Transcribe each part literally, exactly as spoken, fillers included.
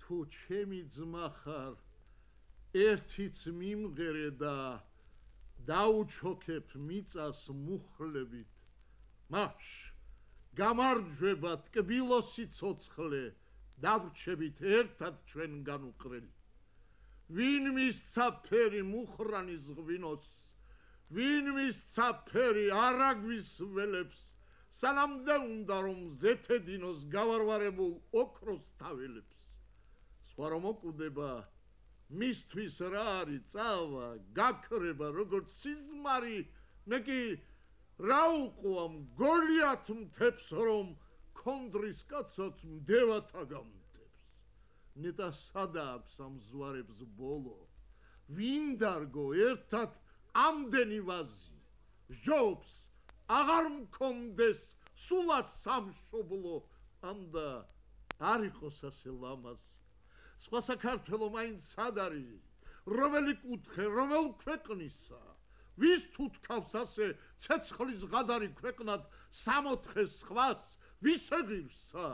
თუ ჩემი ძმა ხარ ერთიც მიმღერე და დაუჩოქებ მიწას მუხლებით მაშ გამარჯვება ტკბილოსი ცოცხლე დავრჩებით ერთად ჩვენ განუყრელი ვინ მისცა ფერი მუხრანის ღვინოს ვინ მისცა ფერი არაგვის ველებს სანამდე უნდა რომ ზეთედინოს გავარვარებულ ოქროს თაველებს სხვა რომ მოკვდება მისთვის რა არის წავა გაქრება როგორც სიზმარი მე კი რა უყვამ გოლიათ მთებს რომ ქონდრის კაცად მდევათა გამთებს ნეტა სადა აქვს ამ ზვარებს ბოლო ვინ დარგო ერთად ამდენი ვაზი ჟობს აღარ მქონდეს სულაც სამშობლო ამდა არ იყოს ასე ლამაზი სხვა საქართველო მაინც სად არის რომელი კუთხე რომელ ქვეყნისა ვის თუ თქავს ასე ცეცხლის ღადარი ქვეყნად სამოთხე სხვას ვის ეგირსა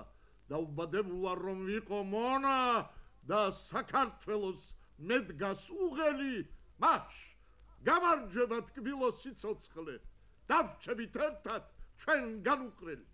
დაუბადებულა რომ ვიყო მონა და საქართველოს მედგას უღელი მაშ გამარჯვება ტკბილოსი ცოცხლე დავრჩებით ერთად ჩვენ განუყრელი